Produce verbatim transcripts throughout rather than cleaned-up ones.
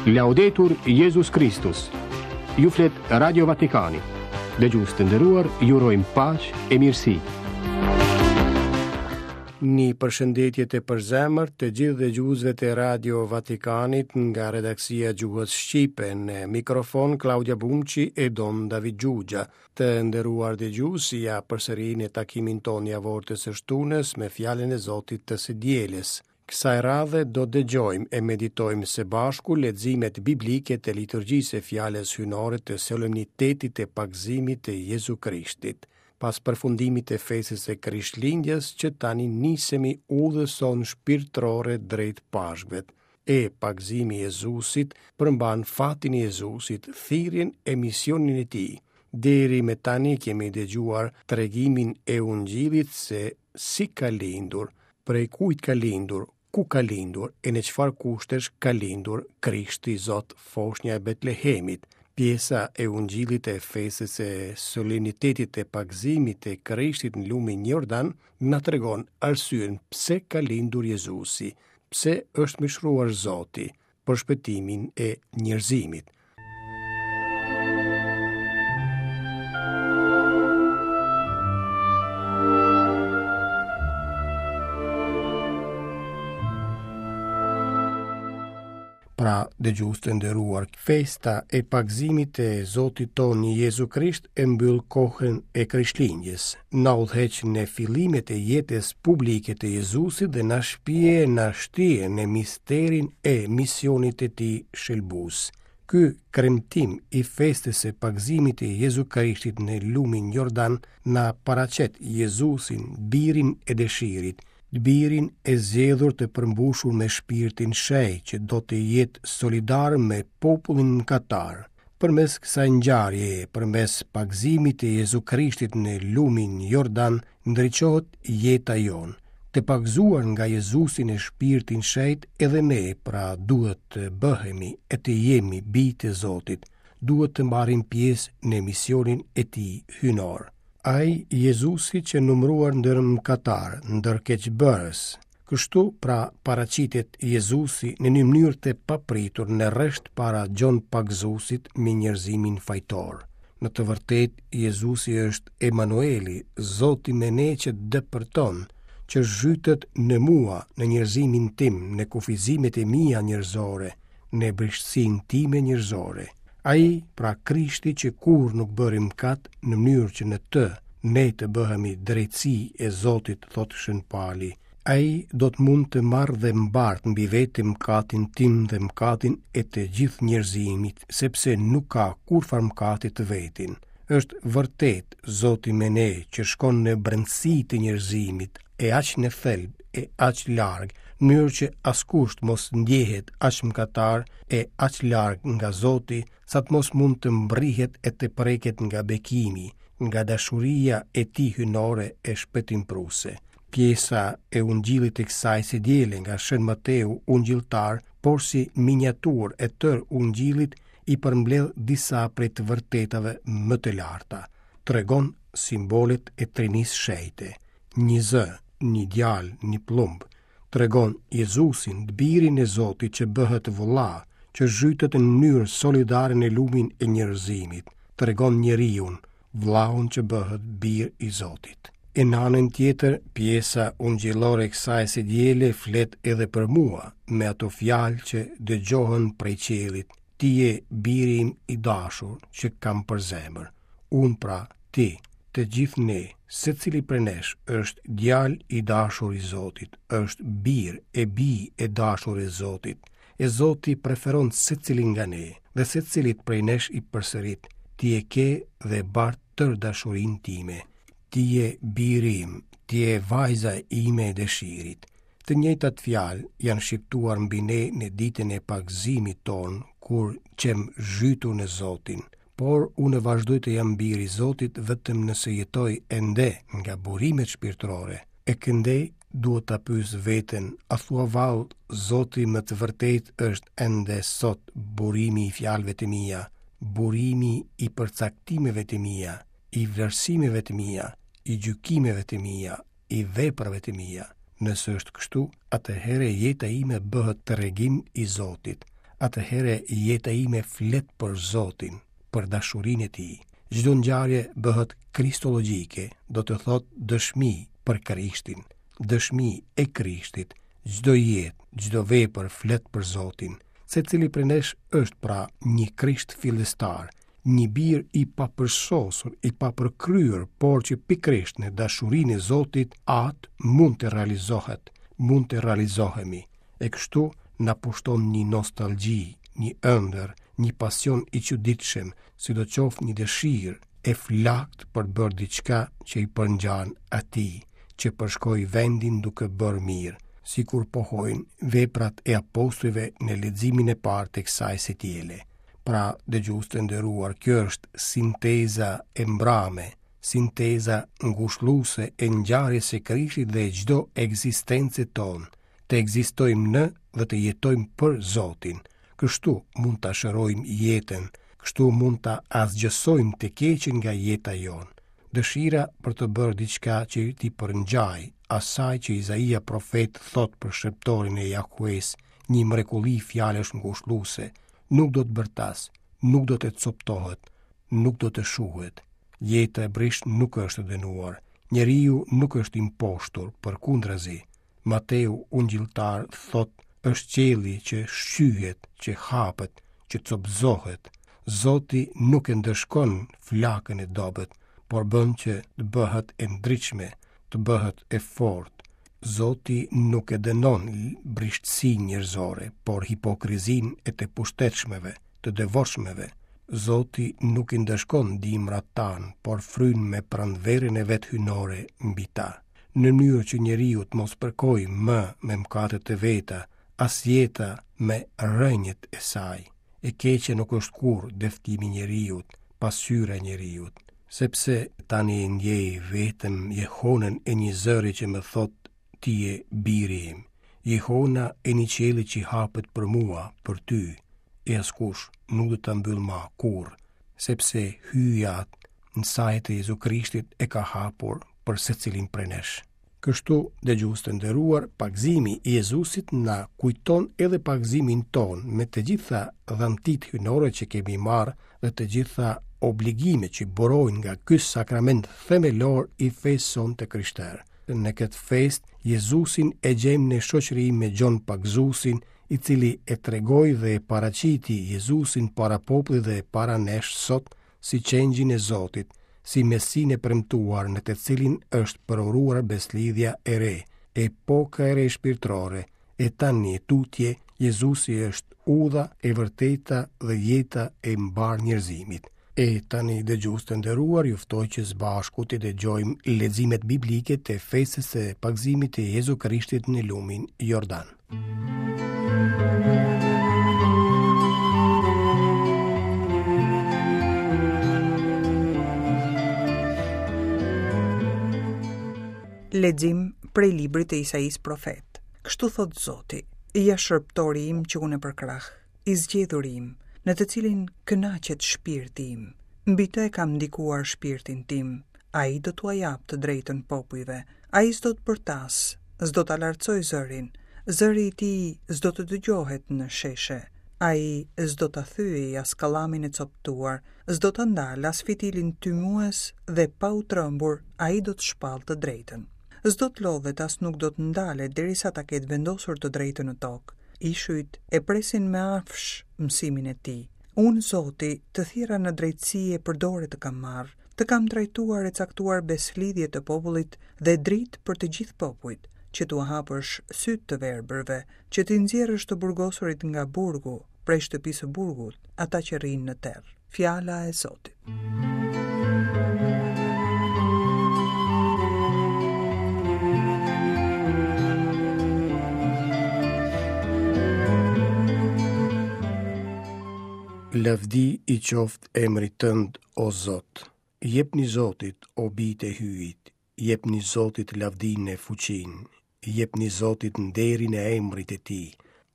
Laudetur Jezus Kristus. Ju flet Radio Vatikani. Dëgjues të nderuar, ju urojmë paqe e mirësi. Një përshëndetje të përzemërt të gjithë dëgjuesve të Radio Vatikanit nga redaksia e gjuhës shqipe në mikrofon Klaudia Bumçi e Don David Xhuxha. Të nderuar dëgjues, ja përsëri në takimin tonë javor të së shtunës me fjalën e Zotit të së dielës. Kësaj radhe do dëgjojmë e meditojmë së bashku leximet biblike të liturgjisë së fjalës hyjnore të solemnitetit të pagëzimit të Jezu Krishtit. Pas përfundimit të festës së Krishtlindjes, që tani nisemi udhës sonë shpirtërore drejt Pashkëve. E pagëzimi i Jezusit përmban fatin e Jezusit, thirrjen e misionin e tij. Deri me tani kemi dëgjuar tregimin e Ungjillit se si ka lindur, prej kujt ka lindur, ku ka lindur e në çfarë kushtesh ka lindur Krishti Zot, foshnja e Betlehemit. Pjesa e Ungjillit e festës së solemnitetit të pagëzimit të Krishtit në lumin Jordan na tregon arsyen pse ka lindur Jezusi, pse është mishëruar Zoti për shpëtimin e njerëzimit. Pra, dëgjues të nderuar, festa e pagëzimit të Zotit tonë Jezu Krisht e mbyll kohën e Krishtlindjes, na udhëheq në fillimet e jetës publike të Jezusit dhe na shpie, na shtie në misterin e misionit të tij shëlbues. Ky kremtim i festës së pagëzimit të Jezu Krishtit në lumin Jordan na paraqet Jezusin, birin e dëshirit, birin e zgjedhur të përmbushur me shpirtin shenjt që do të jetë solidar me popullin mëkatar. Përmes kësaj ngjarjeje, përmes pagëzimit të Jezu Krishtit në lumin Jordan, ndriçohet jeta jonë. Të pagëzuar nga Jezusi në shpirtin shenjt, edhe ne pra duhet të bëhemi e të jemi bij të Zotit, duhet të marrim pjesë në misionin e tij hyjnor. Ai Jezusi që numëruar ndër mëkatar, ndër keqbërës. Kështu pra paraqitet Jezusi në një mënyrë të papritur në rresht para Gjon Pagëzuesit me njerëzimin fajtor. Në të vërtetë, Jezusi është Emanueli, Zoti me ne që depërton, që zhytet në mua, në njerëzimin tim, në kufizimet e mia njerëzore, në brishtësinë time njerëzore. Ai, pra Krishti që kurrë nuk bëri mëkat, në mënyrë që në të ne të bëhemi drejtësi e Zotit, thotë Shën Pali. Ai do të mund të marrë dhe mbart mbi vete mëkatin tim dhe mëkatin e të gjithë njerëzimit, sepse nuk ka kurrfarë mëkati të vetin. Është vërtet Zoti me ne që shkon në brendësi të njerëzimit, e aq në thelb, e aq larg, në mënyrë që askush të mos ndjehet aq mëkatar e aq larg nga Zoti, sa të mos mund të mbrihet e të preket nga bekimi, nga dashuria e tij hyjnore e shpëtimprurëse. Pjesa e Ungjillit të kësaj së diele nga Shën Mateu Ungjilltar, por si miniaturë e tërë Ungjillit, i përmbledh disa prej të vërtetave më të larta. Tregon simbolet e Trinisë Shenjte. Një zë, një djalë, një pëllumb. Tregon Jezusin, të birin e Zotit që bëhet vëlla, që zhytet në mënyrë solidare në lumin e njerëzimit. Tregon njeriun, vëllaun që bëhet bir i Zotit. E në anën tjetër, pjesa ungjillore e kësaj së diele flet edhe për mua, me ato fjalë që dëgjohen prej qiellit. Ti je biri im i dashur që kam për zemër. Unë pra, ti, të gjithë ne, secili prej nesh është djalë i dashur i Zotit, është bir e bijë e dashur e Zotit. E Zoti preferon secilin nga ne dhe secilit prej nesh i përsërit, ti e ke dhe bart tërë dashurinë time. Ti je biri im, ti je vajza ime e dëshirit. Të njëjtat fjalë janë shqiptuar mbi ne në ditën e pagëzimit tonë, kur qem zhytur në Zotin. Por unë vazhdoj të jam bir i Zotit vetëm nëse jetoj ende nga burimet shpirtërore. E këndej duhet ta pyes veten, a thua vallë Zoti me të vërtetë është ende sot burimi i fjalëve të mia, burimi i përcaktimeve të mia, i vlerësimeve të mia, i gjykimeve të mia, i veprave të mia. Nëse është kështu, atëherë jeta ime bëhet tregim i Zotit. Atëherë jeta ime flet për Zotin, për dashurinë e Tij. Çdo ngjarje bëhet kristologjike, do të thotë dëshmi për Krishtin, dëshmi e Krishtit. Çdo jetë, çdo vepër flet për Zotin. Secili prej nesh është pra një Krisht fillestar, një bir i papërsosur, i papërkryer, por që pikërisht në dashurinë e Zotit Atë mund të realizohet, mund të realizohemi. E kështu na pushton një nostalgji, një ëndër, një pasion i çuditshëm, sidoqoftë një dëshirë e flaktë për të bërë diçka që i përngjan atij, që përshkoi vendin duke bërë mirë, sikur pohojnë veprat e apostujve në leximin e parë të kësaj së diele. Pra, dëgjues të nderuar, kjo është sinteza e mbrame, sinteza ngushëlluese e ngjarjes së Krishtit dhe çdo ekzistence tonë, të ekzistojmë në dhe të jetojmë për Zotin. Kështu mund ta shërojmë jetën, kështu mund ta asgjësojmë të keqen nga jeta jonë. Dëshira për të bërë diçka që t'i përngjaj asaj që Izaia profet thot për shërbëtorin e Jahues, një mrekulli fjalësh ngushëlluese, nuk do të bërtas, nuk do të coptohet, nuk do të shuhet. Jeta e brishtë nuk është e dënuar, njeriu nuk është i mposhtur, përkundrazi. Mateu ungjilltar thot, është qielli që shqyhet, që hapet, që copëzohet. Zoti nuk e ndëshkon flakën e dobët, por bën që të bëhet e ndritshme, të bëhet e fortë. Zoti nuk e dënon brishtësinë njerëzore, por hipokrizinë e të pushtetshmeve, të devotshmeve. Zoti nuk i ndëshkon dimrat tanë, por fryn me pranverën e vet hyjnore mbi ta. Në mënyrë që njeriu të mos përkojë më me mëkatet e veta, as jeta me rënjët e saj. E keqe nuk është kurrë dëftimi i njeriut, pasyra e njeriut, sepse tani e ndjej vetëm jehonën e një zëri që më thot ti je biri im. Jehona e një qielli që hapet për mua, për ty, e askush nuk do ta mbyll ma kurrë, sepse Hyji në sajë të Jezu Krishtit e ka hapur për secilin prej nesh. Kështu, dëgjues të nderuar, pagëzimi i Jezusit na kujton edhe pagëzimin ton me të gjitha dhuntitë hyjnore që kemi marrë dhe të gjitha obligimet që burojnë nga ky sakrament themelor i fesë sonë të krishterë. Në këtë fest, Jezusin e gjejmë në shoqëri me Gjon Pagëzuesin, i cili e tregoi dhe e paraqiti Jezusin para popullit dhe para nesh sot si qengjin e Zotit, si Mesinë e premtuar në të cilin është përuruar beslidhja e re, epoka e re shpirtërore, e tani e tutje Jezusi është udha e vërteta dhe jeta e mbarë njerëzimit. E tani dëgjues të nderuar, ju ftoj që së bashku të dëgjojmë leximet biblike të festës së pagëzimit të Jezu Krishtit në lumin Jordan. Lexim prej librit të Isaisë profet. Kështu thot Zoti, ja shërbëtori im që unë e përkrah, i zgjedhuri im, në të cilin kënaqet shpirti im. Mbi të e kam ndikuar shpirtin tim. Ai do t'ua jap të drejtën popujve. Ai s'do të bërtas, s'do ta lartësoj zërin. Zëri i tij s'do të dëgjohet në sheshe. Ai s'do ta thyej as kallamin e coptuar, s'do ta ndal as fitilin tymues dhe pa u trembur ai do të shpall të drejtën. S'do të lodhet as nuk do të ndalet derisa ta ketë vendosur të drejtën në tokë. Ishujt e presin me afsh mësimin e tij. Unë, Zoti, të thirra në drejtësi e përdore të kam marrë, të kam trajtuar e caktuar beslidhje të popullit dhe dritë për të gjithë popujt, që t'ua hapësh sytë të verbërve, që t'i nxjerrësh të burgosurit nga burgu, prej shtëpisë së burgut, ata që rrinë në terr. Fjala e Zotit. Lavdi i qoftë emrit tënd, o Zot. Jepni Zotit, o bijtë e Hyjit, jepni Zotit lavdinë e fuqinë, jepni Zotit nderin e emrit e tij,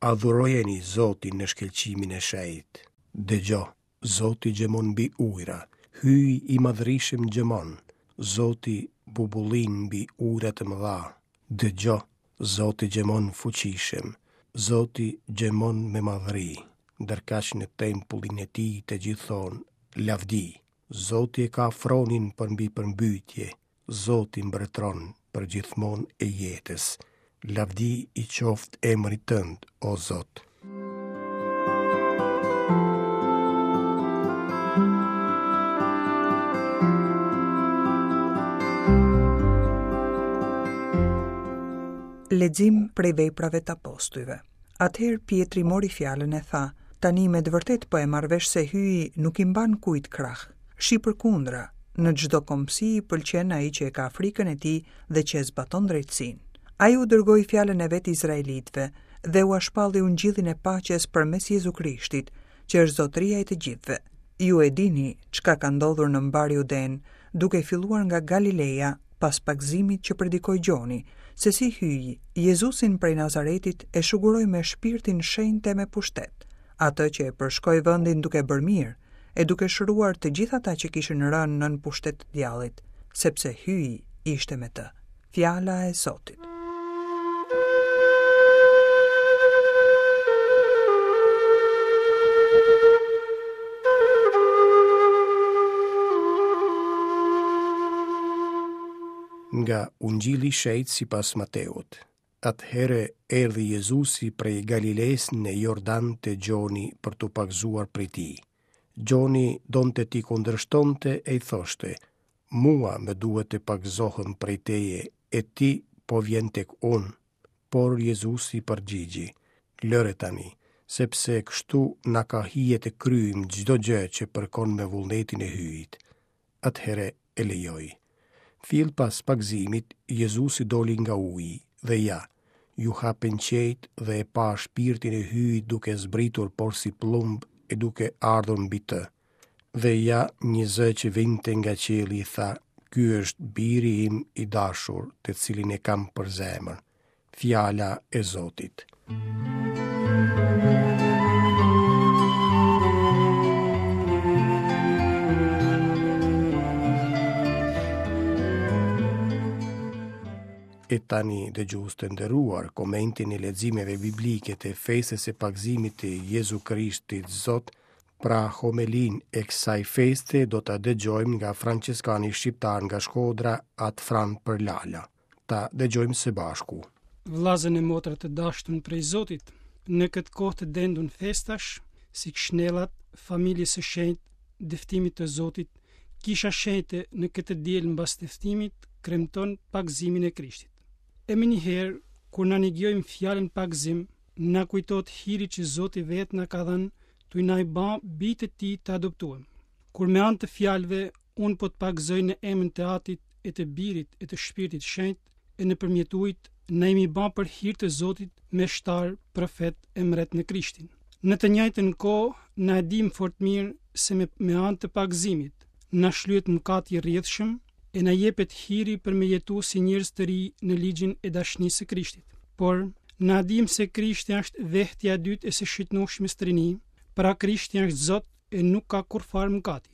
adhurojeni Zotin në shkëlqimin e shenjtë. Dëgjo, Zoti gjemon mbi ujra, Hyji i madhërishëm gjemon, Zoti bubullin mbi ujra të mëdha. Dëgjo, Zoti gjemon fuqishëm, Zoti gjemon me madhëri. Ndërkaq në tempullin e tij të gjithë thonë, lavdi. Zoti e ka fronin përmbi përmbytje, Zoti mbretëron për gjithmonë e jetës. Lavdi i qoftë emrit tënd, o Zot. Lexim prej veprave të apostujve. Atëherë Pietri mori fjalën e tha: Tani me të vërtet po e marr vesh se Hyji nuk i mban kujt krah. Shi përkundra, në çdo kombësi i pëlqen ai që e ka frikën e tij dhe që e zbaton drejtësinë. Ai u dërgoi fjalën e vet izraelitëve dhe ua shpalli ungjillin e paqes përmes Jezu Krishtit, që është zotëria e të gjithëve. Ju e dini çka ka ndodhur në mbar Juden, duke filluar nga Galileja pas pagëzimit që predikoi Gjoni, se si Hyji, Jezusin prej Nazaretit e shuguroi me shpirtin shenjt e me pushtet, atë që e përshkoi vendin duke bërë mirë, e duke shëruar të gjithë ata që kishin rënë nën pushtet të djallit, sepse Hyji ishte me të. Fjala e Zotit. Nga Ungjilli i Shenjtë sipas Mateut. Atëherë erdhi Jezusi prej Galilesë në Jordan te Gjoni për t'u pagëzuar prej tij. Gjoni donte t'i kundërshtonte e i thoshte: Mua më duhet të pagëzohem prej teje, e ti po vjen tek unë. Por Jezusi përgjigji: Lëre tani, sepse kështu na ka hije të kryejmë çdo gjë që përkon me vullnetin e Hyjit. Atëherë e lejoi. Fill pas pagëzimit, Jezusi doli nga uji dhe ja, ju hapën qejt dhe e pa shpirtin e Hyjit duke zbritur porsi pëllumb e duke ardhur mbi të. Dhe ja, një zë që vinte nga qielli i tha: Ky është biri im i dashur, të cilin e kam për zemër. Fjala e Zotit. E tani, dëgjues të nderuar, komentin e leximeve biblike të festës së pagëzimit të Jezu Krishtit Zot, pra homelinë e kësaj feste do ta dëgjojmë nga Françeskani shqiptar nga Shkodra, At Fran Përlala. Ta dëgjojmë së bashku. Vëllazën e motra të dashtun prej Zotit, në këtë kohë të dendun festash, si këshnellat, familjes së shenjtë, dëftimit të Zotit, kisha shenjte në këtë diel mbas dëftimit kremton pagëzimin e Krishtit. E më njëherë, kur na nigjojmë fjalën pagëzim, na kujtohet hiri që Zoti vetë na ka dhënë, tuj na i ba bijtë të tij të adoptuem. Kur me anë të fjalëve, unë po të pagëzoj në emrin të Atit e të Birit e të Shpirtit Shenjt, e nëpërmjet ujit, na jemi ba për hir të Zotit meshtar, profet e mbret në Krishtin. Në të njëjtën kohë, na e dim fort mirë se me, me anë të pagëzimit, na shlyhet mëkati i rrjedhshëm e na jepet hiri për me jetu si njerëz të ri në ligjin e dashnisë së Krishtit. Por, na dim se Krishti është vehtja e dytë e së shitnueshmes trini, pra Krishti është Zot e nuk ka kurrfarë mëkati.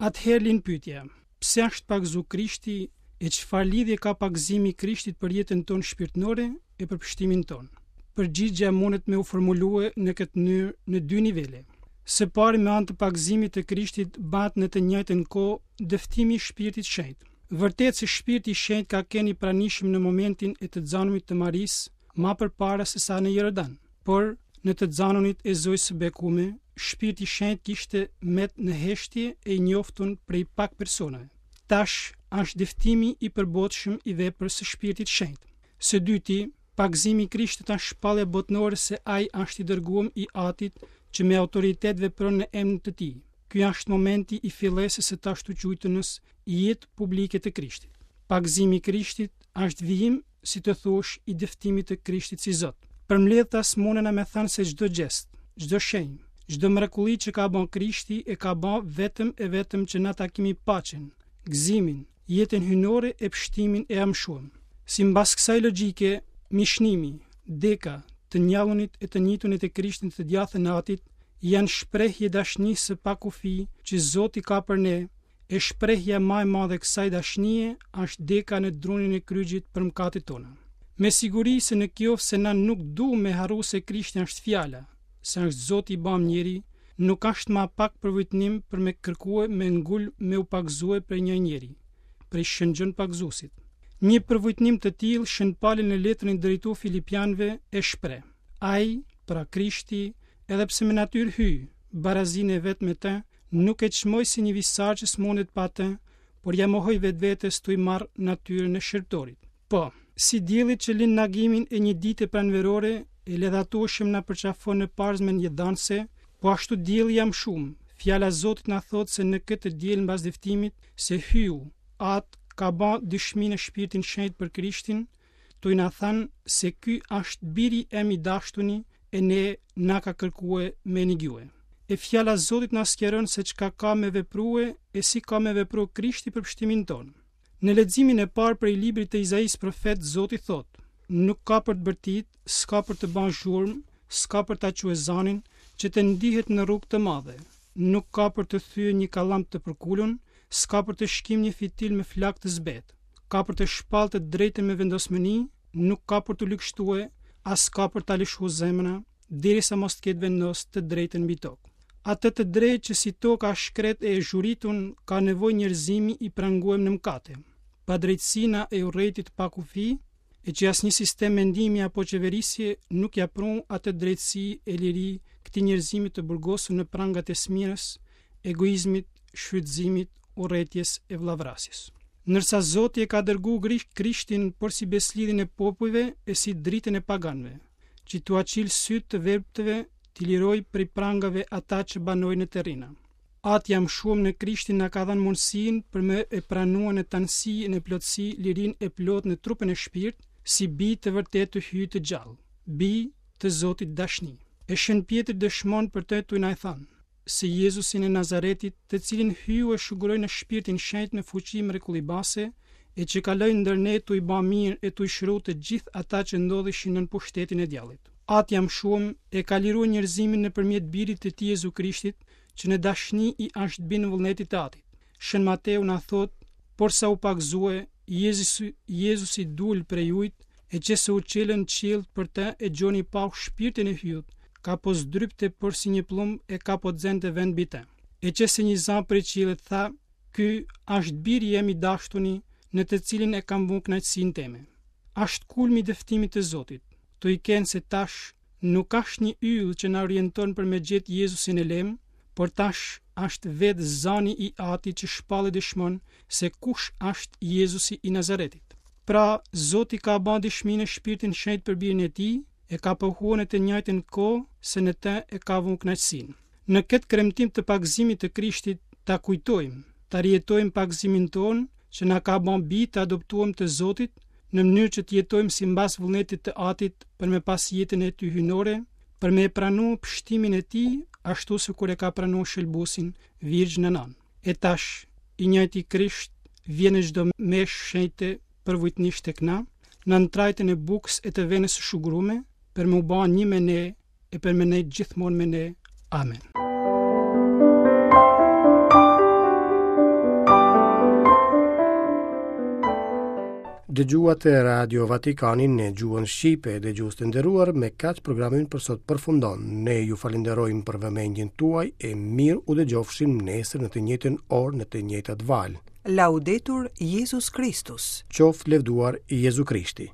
Atëherë lind pyetja, pse është pagëzu Krishti e çfarë lidhje ka pagëzimi i Krishtit për jetën tonë shpirtërore e për pështimin tonë? Përgjigjja mundet me u formulue në këtë mënyrë në dy nivele. Së pari, me anë të pagëzimit të Krishtit bëhet në të njëjtën kohë dëftimi i Shpirtit Shenjt. Vërtet se Shpirti i Shenjt ka qenë i pranishëm në momentin e të xanunit të Marisë, ma përpara se sa në Jordan, por në të xanunit e Zojës së Bekume, Shpirti i Shenjt kishte met në heshtje e i njoftun prej pak personave. Tash është dëftimi i përbotshëm i veprës së Shpirtit Shenjt. Së dyti, pagëzimi i Krishtit është shpallja botërore se ai është i dërguar i Atit që me autoritet vepron në emrin të tij. Ky është momenti i fillesës së tashtuquajtunës jetë publike të Krishtit. Pagëzimi i Krishtit është vijim, si të thuash, i dëftimit të Krishtit si Zot. Përmbledhtas mundena me thënë se çdo gjest, çdo shenjë, çdo mrekulli që ka bën Krishti e ka bën vetëm e vetëm që na ta kemi paqen, gëzimin, jetën hyjnore e pështimin e amshuam. Simbas kësaj logjike, mishnimi, deka, të njallunit e të njitunit e Krishtit të djathën e Atit janë shprehje dashnisë së pakufi që Zoti ka për ne, e shprehja më e madhe e kësaj dashnie është deka në drunin e kryqit për mëkatet tona. Me siguri se në qoftë se na nuk du me harru se Krishti është fjala, se është Zoti i bam njeri, nuk është ma pak përvujtnim për me kërkue me ngul me u pagëzue prej një njeri, prej Shën Gjon Pagëzuesit. Një përvujtnim të tillë Shën Pali në letrën i drejtu Filipianëve e shpreh. Ai, pra Krishti, edhe pse me natyrë hyj, barazinë e vet me të, nuk e çmoi si një visar që s'mundet pa të, por ja mohoi vetvetes tuj marr natyrën e shërbëtorit. Po, si dielli që lind në agimin e një dite pranverore e ledhatueshëm na përqafon në parzmën jetëdhanëse, po ashtu dielli i amshumë. Fjala Zotit na thotë se në këtë diell mbas dëftimit se Hyu, At ka ba dëshminë e Shpirtin Shenjt për Krishtin, tuj na thanë se ky është biri em i dashtuni e ne na ka kërkue me nigjue. E fjala Zotit na sqaron se çka ka me veprue e si ka me vepru Krishti për pështimin tonë. Në leximin e parë prej librit të Izaisë profet, Zoti thotë: Nuk ka për të bërtit, s'ka për të bën zhurmë, s'ka për ta çue zanin, që të ndihet në rrugë të madhe. Nuk ka për të thyer një kallam të përkulun, s'ka për të shkim një fitil me flak të zbet. Ka për të shpallë të drejtën me vendosmëni, nuk ka për të lëkshtue, as ka për ta lëshu zemra, derisa mos të ketë vendos të drejtën mbi tokë. Atë të drejtë që si toka shkret e zhuritun ka nevojë njerëzimi i pranguem në mëkate. Padrejtësina e urrejtit pa kufi, e që asnjë sistem mendimi apo qeverisje nuk ja prun atë drejtësi e liri këtij njerëzimi të burgosur në prangat e smirës, egoizmit, shfrytëzimit, urrejtjes e vllavrasjes. Ndërsa Zoti e ka dërgu Krishtin por si beslidhjen e popujve e si dritën e paganëve, që t'ua çil sytë të verbëtëve, t'i liroj prej prangave ata që banojnë në terrina. Ati i amshuem në Krishtin na ka dhënë mundësinë për me e pranua në tanësi e në plotësi lirinë e plotë në trupën e shpirt, si bij të vërtetë të Hyjit të gjallë, bij të Zotit dashni. E Shën Pjetri dëshmon për të tuj na e thënë, se Jezusin e Nazaretit, të cilin Hyu e shuguroi në shpirtin shenjt me fuqi mrekullibase, e që kaloi ndër ne tuj ba mirë e tuj shëru të gjithë ata që ndodheshin nën pushtetin e djallit. Ati i amshuem e ka liruar njerëzimin nëpërmjet birit të tij Jezu Krishtit, që në dashni i është bind vullnetit të Atit. Shën Mateu na thot, porsa u pagëzue, Jezusi, Jezusi dul prej ujit, e që se u çelën qiellt për të e Gjoni pau shpirtin e Hyjut, ka po zdrypte por si një plumb e ka po xente vend mbi të. E që se një za prej qiellit tha, ky është biri jem i dashtuni, në të cilin e kam vu kënaqësinë teme. Është kulmi i dëftimit të Zotit, tu i kenë se tash nuk është një yll që na orienton për me gjetë Jezusin e lem, por tash është vetë zani i Atit që shpallë dëshmon se kush është Jezusi i Nazaretit. Pra, Zoti ka ba dëshminë e Shpirtin Shenjt për birin e tij, e ka pohuar në të njëjtën kohë se në të e ka vu kënaqësinë. Në këtë kremtim të pagëzimit të Krishtit ta kujtojmë, ta rijetojmë pagëzimin tonë që na ka bën bij të adoptuam të Zotit, në mënyrë që të jetojmë sipas vullnetit të Atit për me pas jetën e tij hyjnore, për me e pranu pështimin e tij, ashtu sikur e ka pranu shëlbuesin Virgjën Nënë. E tash, i njëjti Krisht vjen në çdo meshë shenjte përvujtnisht tek na, në trajtën e bukës e të venës së shugrume, për me u ba një me ne e për me nejt gjithmonë me ne. Amen. Dëgjuat Radio Vatikanin në gjuhën shqipe, dëgjues të nderuar, me kaq programi ynë për sot përfundon. Ne ju falenderojmë për vëmendjen tuaj e mirë u dëgjofshim nesër në të njëjtën orë në të njëjtat valë. Laudetur Jezus Kristus. Qoftë lëvduar Jezu Krishti.